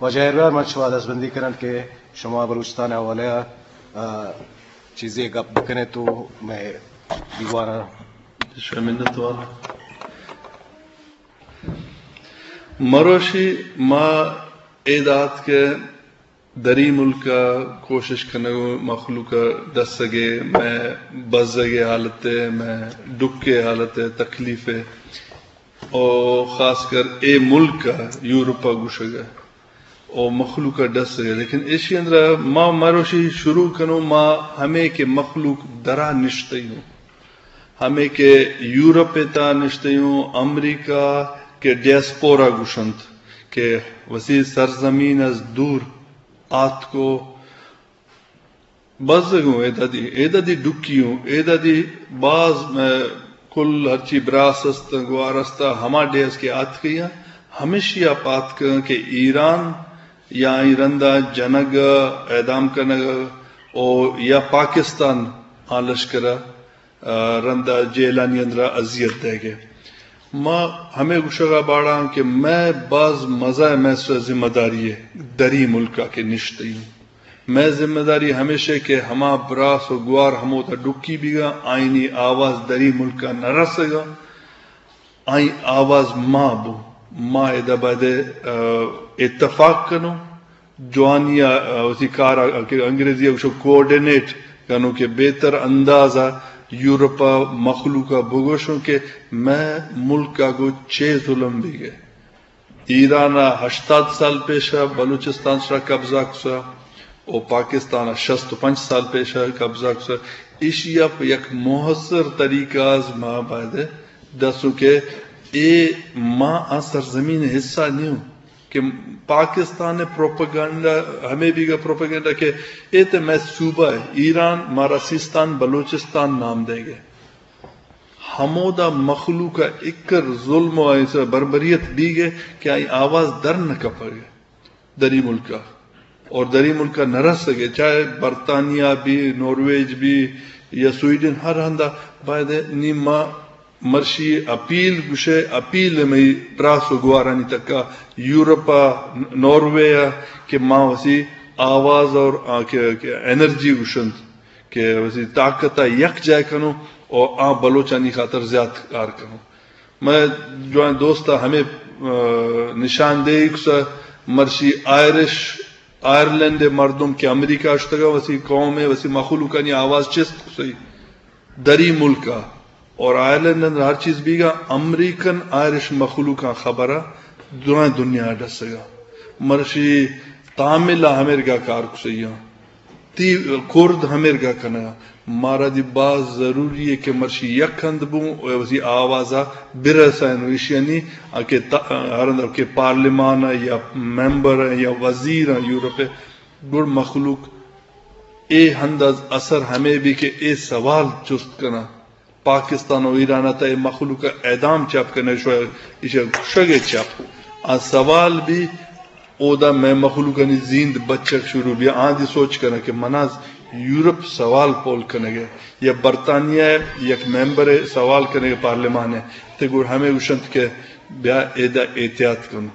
واجہ اہربار، من شما دستبندی کنن کہ شما بلوچستان ءِ حوالہ ءَ، آ، چیزے گپ بکنے تو مئے دیوان ءَ۔ شما منت وار۔ مروشی ما اے دات کہ دری ملک ءَ کوشش کنگ ءُ مخلوق ءَ ڈسگ ءِ، مئے بزگ ءِ حالت ءِ، مئے ڈک ءِ حالت ءِ، تکلیف ءِ، او خاص کر اے ملک ءَ یورپ ءَ گوشگ ءَ او مخلوق ءَ ڈسگ ءَ۔ لیکن ایشی اندرا ما مروشی شروع کنوں، ما ہمے کہ مخلوق درا نشتئی اوں، ہمے کہ یورپ ءِ تہا نشتئی اوں، امریکہ کہ ڈیاسپورا گوشنت کہ وثی سرزمین از دور آتکو، بزگوں ایدادی، ایدادی ڈکی اوں، ایدادی باز، ءَ، کل ہرچی براس است، گوار است، ہما ڈیہہ است کہ آتکیاں، ہمیشی ءَ پاتکاں کہ ایران یا آئی رندا جنگ ءَ اعدام کنگ ءَ او یا پاکستان آ لشکر ءَ، ءَ، رندا جیلانی اندرا اذیت دئیگ ءَ۔ ما ہمے گوشگ ءَ باڑاں کہ مئے باز مزہ ءَ مئے سر ذمہ داری ءَ دری ملک ءَ کہ نشتئی اوں۔ مئے ذمہ داری ہمیش ءَ کہ ہما براس ءُ گوار ہمودا ڈکی بیگا، آئینی آواز دری ملک ءَ نہ رسگا، آئی آواز ما بو۔ ما ادا باید ءَ، ءَ، اتفاق کنوں، جوانی ءَ، ءَ، وثی کار ءَ کہ انگریزی ءَ گوشو کوآرڈینیٹ کنوں کہ بہتر انداز ءَ یورپ ءِ مخلوق ءَ بگوشوں کہ مئے ملک ءَ گوں چے ظلم بیگ ءَ۔ ایران ءَ ہشتاد سال پیش ءَ بلوچستان سرا قبضہ کسا، او پاکستان ءَ شست ءُ پنچ سال پیش ءَ قبضہ کسا۔ ایشی ءَ پہ یک مؤثر طریقہ از ما باید ءَ دسوں کہ اے ما آ سرزمین ءِ حصہ نیوں کہ پاکستان ءِ پروپیگنڈا، ہمے بیگا پروپیگنڈا کہ اے تے مئے صوبہ ءَ، ایران مارا سیستان بلوچستان نام دئیگ ءَ۔ ہمودا مخلوق ءَ اکر ظلم ءُ ایسا بربریت بیگ ءَ کہ آئی آواز در نہ کپگ ءَ دری ملک ءَ، اور دری ملک ءَ نہ رسگ ءَ، چاہے برطانیہ بی، نارویج بی یا سویڈن، ہر ہندا باید ءَ نی ما مرشی اپیل گوشے، اپیل مئی براس ءُ گوارانی تکا، یورپ ءَ، ناروے ءَ کہ ما وثی آواز اور آ کہ، کہ انرجی گوشنت کہ وثی طاقت ءَ یک جاہ کنوں او آ بلوچانی خاطر زیات کار کنوں۔ مئے جوان دوست ءَ ہمے، آ، نشاندہی کسا مرشی آئرش، آئرلینڈ ءِ مردم کہ امریکہ ءَ شتگا وثی قوم ءِ وثی مخلوقانی آواز چست کسئی دری ملک ءَ اور آئرلینڈ اندر ہر چیز بیگا امریکن آئرش مخلوقاں خبر ءَ درائیں دنیا ءَ ڈسگا۔ مرشی تامل ءَ ہمیرگا کار کسئی آں۔ تی کرد ہمیرگا کنگا۔ مارا دی باز ضروری ہے کہ مرشی یک ہند بوں و وثی آوازا برسائیں و ایشیانی کہ تا-، ہر ہند کہ پارلیمان ہے یا ممبر ہے یا وزیر ہے یورپ ہے، گڑ مخلوق اے ہند از اثر ہمے بی کہ اے سوال چست کنا۔ پاکستان و ایران ء تہ ء مخلوق ء اعدام چپ کنگ، شو ایشی ء کشگ ء چپ۔ آ سوال بی، اودا مئے مخلوقانی زیند بچگ شروع بی۔ آں دی سوچ کنگ کہ مناز یورپ سوال پول کنگ ء یا برطانیہ ء یک ممبر ء سوال کنگ ء پارلیمان ء، تہ گڑ ہمے گوشنت کہ بیا ادا احتیاط کن۔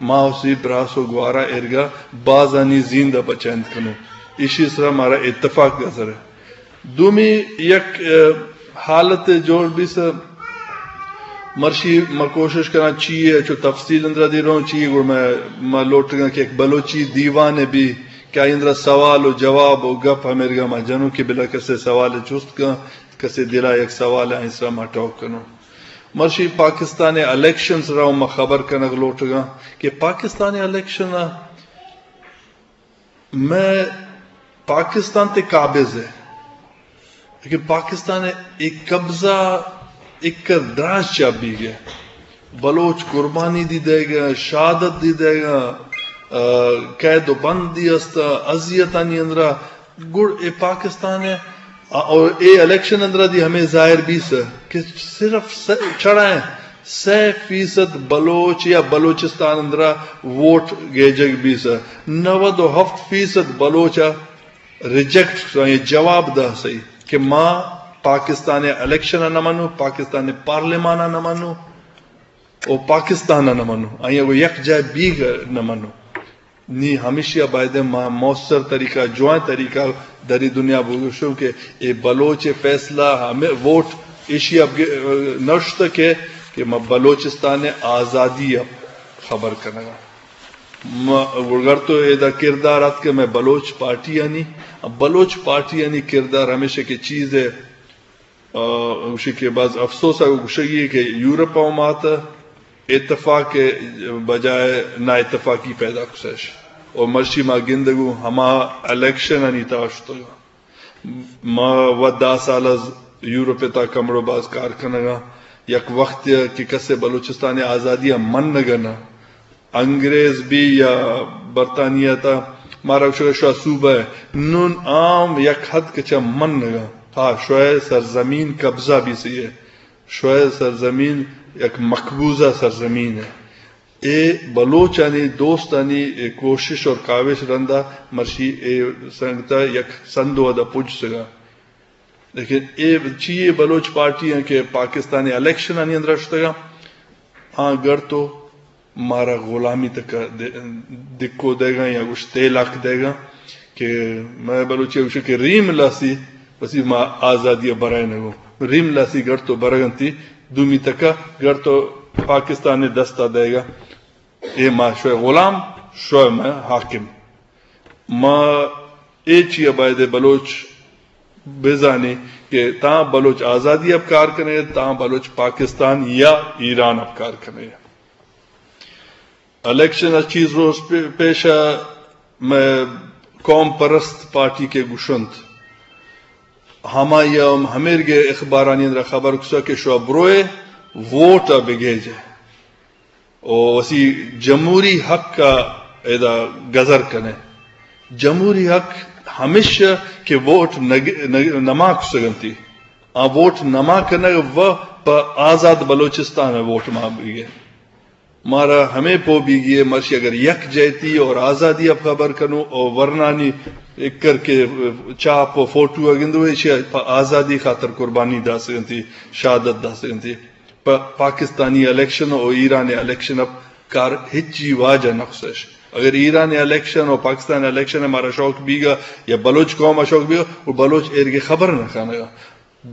ما اسی براس و گوارا ارگا بازانی زیند ء بچائینت کنوں۔ ایشی سرا مارا اتفاق گزر ء۔ دومی یک، ء، حالت جوڑ بیثہ، مرشی ما کوشش کناں چی ء چو تفصیل اندرا دی روں، چی گڑ ما، ما لوٹگاں کہ یک بلوچی دیوان بی کہ آئی اندرا سوال و جواب و گپ ہمیرگا ما جنوں کہ بلا کسے سوال چست کن، کسے دلا یک سوال آئی سرا ما ٹاک کنوں۔ مرشی پاکستان ء الیکشن سرا ما خبر کنگ لوٹگاں کہ پاکستان ء الیکشن ء مئے پاکستان تے قابض ہے، لیکن پاکستان ء ایک قبضہ ایک دراج چا بیگ ء۔ بلوچ قربانی دی دئیگ ء، شہادت دی دئیگ ء، ء، قید و بند دی است، اذیتانی اندرا گڑ اے پاکستان ء، ء، اور اے الیکشن اندرا دی ہمے ظاہر بیثہ کہ صرف س-، چڑائیں سئے فیصد بلوچ یا بلوچستان اندرا ووٹ گیجگ بیثہ، نود و ہفت فیصد بلوچ ء ریجیکٹ کثہ، یہ جواب داثہ کہ ما پاکستان ء الیکشن ء نہ منوں، پاکستان ء پارلیمان ء نہ منوں، او پاکستان ء نہ منوں، آئی ء گوں یک جاہ بیگ ء نہ منوں۔ نی ہمیشی ء بایدیں ما مؤثر طریقہ، جوائیں طریقہ دری دنیا بگوشوں کہ اے بلوچ ء فیصلہ ہمیں ووٹ ایشی ء بگ-، نشت کہ، کہ ما بلوچستان ء آزادی ء خبر کنگا۔ ما گڑگر تو ادا کردار ات کہ میں بلوچ پارٹی آنی، بلوچ پارٹی آنی کردار ہمیشہ کہ چیز ہے، آ، گوشی کہ باز افسوس ء گوشگی کہ یورپ ء مات اتفاق ء بجائے نا اتفاقی پیدا کسش۔ اور مرشی ما گندگو ہما الیکشن آنی تاشتگا۔ ما و دہ سال از یورپ ء تا کمڑو باز کار کنگا۔ یک وقت کہ کسے بلوچستان آزادی ء من نگنا، انگریز بی یا برطانیہ تا مارا گوشگ شوا صوبہ ہے۔ نون عام یک حد کچا من نگا۔ ہا، شوئے سرزمین قبضہ بی سی ہے۔ شوئے سرزمین یک مقبوضہ سرزمین ہے۔ اے بلوچانی دوستانی اے کوشش اور کاوش رندا مرشی اے سنگتا یک سندو ادا پج سگا۔ لیکن اے چی اے بلوچ پارٹی ہیں کہ پاکستانی الیکشن آنی اندر شتگا، آ گر تو مارا غلامی تک دے-، دکو دے گا یا گوش تیلاک دے گا کہ میں بلوچی گوش کہ ریم لاسی وسی ما آزادی برائے نگو۔ ریم لاسی گر تو برگنتی دومی تک گر تو پاکستان دستا دے گا۔ اے ما شوئے غلام، شوئے میں حاکم۔ ما اے چی ء بایدے بلوچ بزانی کہ تاں بلوچ آزادی ء کار کنے، تاں بلوچ پاکستان یا ایران ء کار کنے۔ الیکشن ء چیز روز پہ-، پیش ء میں قوم پرست پارٹی کے گشنت۔ ہمائی ء ہمیرگے اخبارانی اندر خبر کسا کہ شوا بروئے ووٹ ء بگیجے۔ و وسی جمہوری حق ء ادا گزر کنے۔ جمہوری حق ہمیش کہ ووٹ نگ-، نگ-، نما کسگنتی۔ آ ووٹ نما کنگ و پہ آزاد بلوچستان ء ووٹ ما بیگے۔ مارا ہمے پو بیگی ہے، مرشی اگر یک جہتی اور آزادی ء خبر کنو اور ورنانی اکر کے چاپ و فوٹو اگندو ایشی پہ آزادی خاطر قربانی داسگنتی، شہادت داسگنتی۔ پہ پاکستانی الیکشن و ایران الیکشن ء کار ہچی واجہ نقصش۔ اگر ایران الیکشن و پاکستان الیکشن ء مارا شوق بیگا یا بلوچ قوم ء شوق بیگا، و بلوچ ایرگے خبر نہ کنگا۔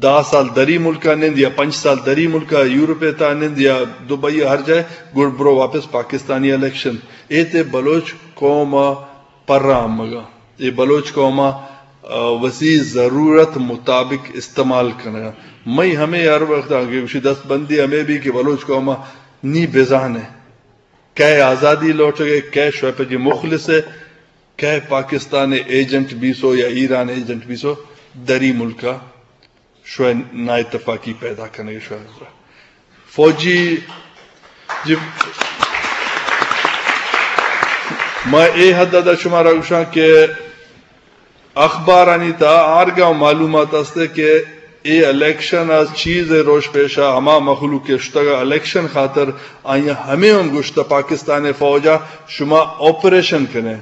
دہ سال دری ملکا نند یا پنچ سال دری ملکا یورپ ء تا نند یا دبئی ء ہر جائے، گڑ برو واپس پاکستانی الیکشن۔ اے تے بلوچ قوم ء پرا امگا۔ اے بلوچ قوم ء، آ، وسی ضرورت مطابق استعمال کنگا۔ مئی ہمیں ہر وقت آگے گوشی دست بندی ہمیں بھی کہ بلوچ قوم ء نی بزانے۔ کئے آزادی لوٹگے، کئے شوئے پجی مخلص ہے، کئے پاکستان ایجنٹ بیسو یا ایران ایجنٹ بیسو، دری ملکا شوئے نا اتفاقی پیدا کنگے شوئے۔ فوجی جی، ما اے حد ادا شمارا گوشاں کہ اخبارانی تہا آرگا معلومات است کہ اے الیکشن از چیز روش پیشا ہما مخلوق کہ شتگا الیکشن خاطر آئیاں ہمیں ہم گوشتہ پاکستان فوجا شما آپریشن کنے۔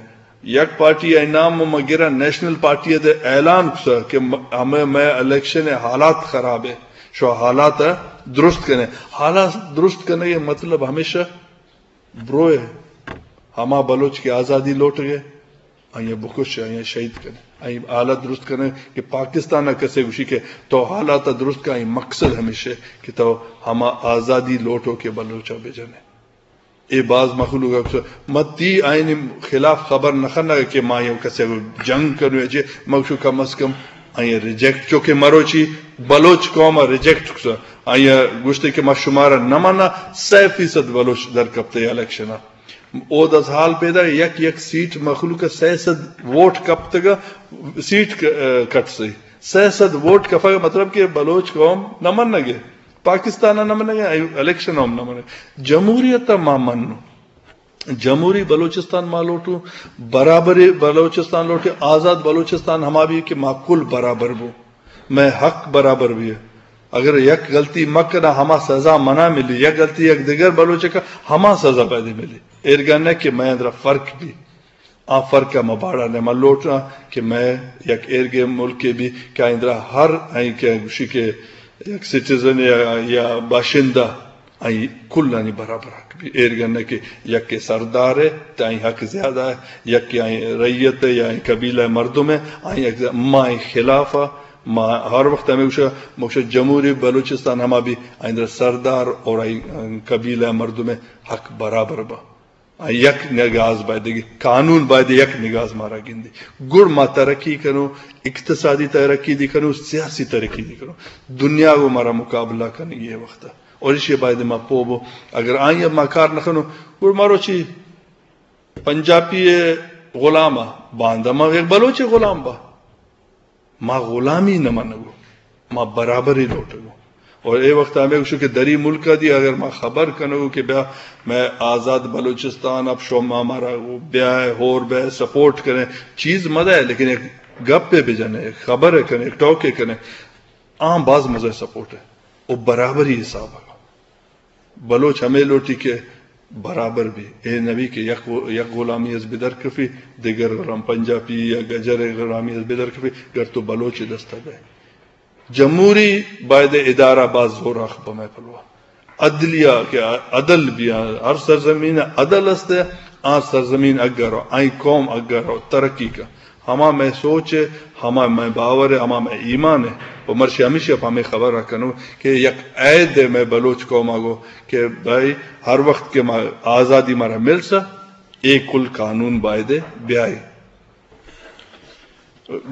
یک پارٹی ء نام ما گرا نیشنل پارٹی ء دے اعلان کسا کہ م-، ہمیں میں الیکشن ء حالات خراب ہے، شو حالات ء درست کنے۔ حالات درست کنے یہ مطلب ہمیشہ بروئے ہما بلوچ کے آزادی لوٹ گئے، آئیے بکش، آئیے شہید کنے، آئی حالات درست کنے کہ پاکستان ء کسے گوشی کہ تو حالات درست کا، آئی مقصد ہمیشہ کہ تو ہما آزادی لوٹو کہ بلوچ ء بجنے۔ اے باز مخلوق ء گوشت، من تی آئین خلاف خبر نہ کنگ کہ ما یو کسے ء جنگ کنو چے، من گوشو کم از کم آئی ریجیکٹ، چونکہ مروچی بلوچ قوم ء ریجیکٹ کسا، آئی گوشتے کہ ما شمارا نہ منا، سئے فیصد بلوچ در کپتے الیکشن ء۔ او دس حال پیدا یک یک سیٹ مخلوق ء سئے سد ووٹ کپتگ، سیٹ ک-، کٹ سے سئے سد ووٹ کفگ مطلب کہ بلوچ قوم نہ منگے۔ پاکستان ء نہ منگ ء، الیکشن ء ہم نہ منگ۔ جمہوریت ء ما منوں۔ جمہوری بلوچستان ما لوٹوں، برابری بلوچستان لوٹے، آزاد بلوچستان ہما بھی کہ ما کل برابر بو، میں حق برابر بھی ہے۔ اگر یک غلطی مکناں ہما سزا منا ملی، یک غلطی یک دیگر بلوچ کا ہما سزا پیدا ملی۔ ایرگا نہ کہ میں اندرا فرق بھی۔ آ فرق ء ما باڑا نہ ما لوٹاں کہ مئے یک ایرگے ملکے بھی کہ آئندرا ہر آئی کہ گوشی کہ یک سٹیزن یا، یا باشندہ آئی کلانی برابر حق بی۔ ایر گنہ کہ یکے سردار ہے، تو آئی حق زیادہ ہے، یکے آئی رعیت ہے یا آئی قبیلہ مردم ہے، آئی حق زیادہ۔ ما آئی خلاف ہے، ما ہر وقت ہمیں گوشا، مکشہ جمہوری بلوچستان ہما بی، آئی اندر سردار اور آئی قبیلہ مردم ہے، حق برابر با۔ آ یک نگاز باید، قانون باید یک نگاز مارا گندی۔ گڑ ما ترقی کنو، اقتصادی ترقی دی کنو، سیاسی ترقی دی کنو۔ دنیا گو مارا مقابلہ کنگی ہے وقت۔ اور ایشی باید ما پو بو۔ اگر آئی ما کار نہ کنو، گڑ مارو چی پنجابی غلام، باندا ما یک بلوچ غلام با۔ ما غلامی نہ منگو، ما برابری لوٹگو۔ اور اے وقت ہمیں گوشو کہ دری ملک دی اگر ما خبر کنگو کہ بیا میں آزاد بلوچستان، اب شما مارا بیا ہور بیا سپورٹ کریں، چیز مدہ ہے، لیکن ایک گپ پہ بجنے، ایک خبر ہے کنے، ایک ٹاک ہے کنے، آں باز مزہ سپورٹ ہے۔ او برابری حساب ہے۔ بلوچ ہمے لوٹی کہ برابر بی۔ اے نبی کہ یک، یک غلامی از بدر کفی، دگر غلام پنجابی یا گجر غلامی از بدر کفی، گر تو بلوچ دستا بے۔ جمہوری باید ادارہ باز زور آخ بمے پلوا۔ عدلیہ کہ عدل بی، ہر سرزمین عدل است، آ سرزمین اگر آئی قوم اگر ترقی کا۔ ہما مئے سوچ ہے، ہما مئے باور ہے، ہما مئے ایمان ہے۔ و مرشی ہمیشی پہ ہمیں خبر کنو کہ یک عید ہے مئے بلوچ قوم آگو کہ بھائی ہر وقت کہ ما آزادی مارا مل سا، اے کل قانون باید ہے بیائے۔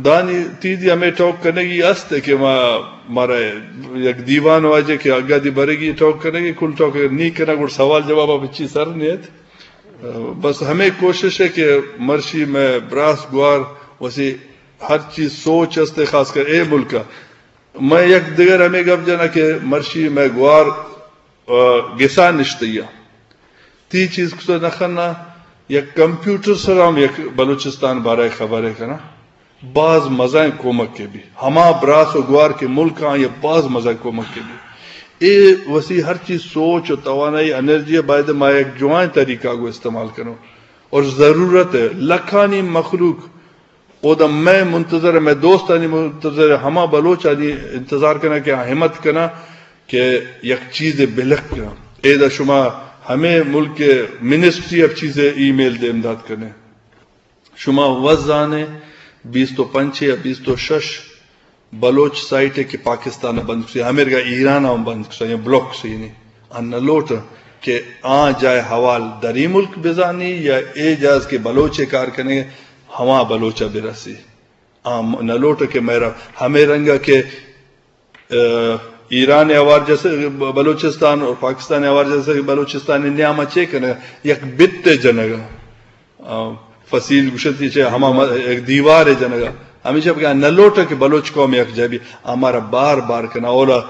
دانی تیدی ہمیں ٹاک کنگی است کہ ما، مارا یک دیوان واجہ کہ اگا دی برگی ٹاک کنگی، کل ٹاک نی کنا گڑ سوال جواب بچی سر نیت۔ بس ہمیں کوشش ہے کہ مرشی میں براس گوار وسی ہر چیز سوچ است، خاص کر اے ملک ء۔ میں یک دگر ہمیں گپ جنا کہ مرشی میں گوار، آ، گسا نشتیا۔ تی چیز کسا نخنا، یک کمپیوٹر سرا ہم یک بلوچستان بارے خبرے کنا۔ باز مزائیں کمک کے بھی۔ ہما براس و گوار کے ملک آں یہ باز مزائیں کمک کے بھی۔ اے وسی ہر چیز سوچ و توانائی انرجی باید ما یک جوائیں طریقہ کو استعمال کروں۔ اور ضرورت ہے لکھانی مخلوق اودا مئے منتظر، مئے دوستانی منتظر، ہما بلوچانی انتظار کنا کہ آ ہمت کنا کہ یک چیز بلک کنا۔ ایدا شما ہمیں ملک منسٹری آف چیزے ای میل دیم دات کنے۔ شما وزانے بیست و پنچ یا بیست و شش بلوچ سائٹ ہے کہ پاکستان بند کسی، ہمیرگا ایران ہم بند کسا یا بلاک کسی نہیں۔ آ نہ لوٹ کہ آ جائے حوال دری ملک بزانی یا اے جاز کہ بلوچ کار کنے ہما بلوچ برسی۔ آ نہ لوٹ کہ میرا ہمیں رنگا کہ، آ، ایران ہوار جیسے بلوچستان اور پاکستان ہوار جیسے بلوچستان نیاما چے کنے یک بت جنگا۔ آ، فصیل گشتی چے ہما م-، یک دیوار جنگا۔ ہمیشہ بگا نہ لوٹ کہ بلوچ قوم یک جبی ہمارا بار بار کنا اولا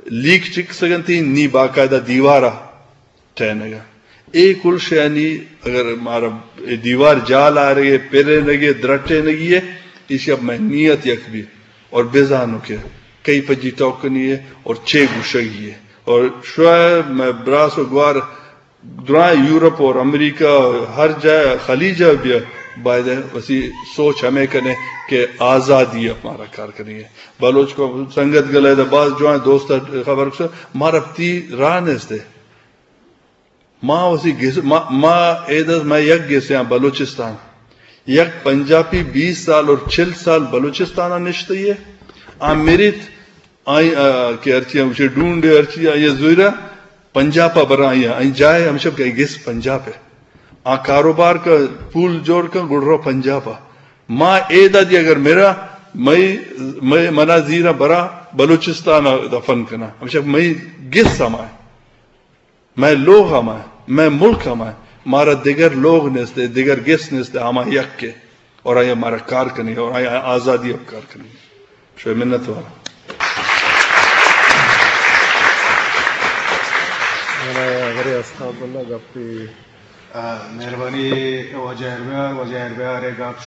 لیک چک سگنتی نی باقاعدہ دیوارا ٹہینگ ء۔ اے کل شیانی اگر مارا اے دیوار جال آرگ ء، پرینگ ء، درٹینگی ء، ایشی ء مئے نیت یک بی اور بزانو کہ کئی پجی ٹوکنی ء اور چے گوشگی ء۔ اور شوئے مئے براس و گوار درائیں یورپ اور امریکہ ہر جا خلیج ء بیا باید وسی سوچ ہمیں کنے کہ آزادی ء مارا کار کنی ہے۔ بلوچ کو سنگت گلے دا باز جوان دوست خبر کسو مارا تی راہ نیستے۔ ما وسی گس-، ما، ما ایدز ما یک گسیاں بلوچستان۔ یک پنجابی بیس سال اور چل سال بلوچستان نشتئی ہے۔ آ میریت آئی، آ، کہ ہرچی ہم اسے ڈھونڈے، ہرچی آئی زویرا پنجاب پا برا آئی، آئی جائے ہمشہ کہ گس پنجاب ہے۔ آ کاروبار کا پول جوڑ کا گڑ رو پنجاب پا۔ ما ایدا دی اگر میرا، مئی، مئی منا زیرا برا بلوچستان دفن کنا۔ ہمشہ مئی گس ہمائے۔ مئے لوغ ہمائے، مئے ملک ہمائے، مارا دگر لوغ نیستے، دگر گس نیستے، ہما یک کے۔ اور آیا مارا کار کنی، اور آیا آزادی اب کار کنی۔ شوئے منت وارا۔ منا غری اسخاب اللہ گپی۔ آ، مہربانی واجہ ارمیار، واجہ ارمیار گپ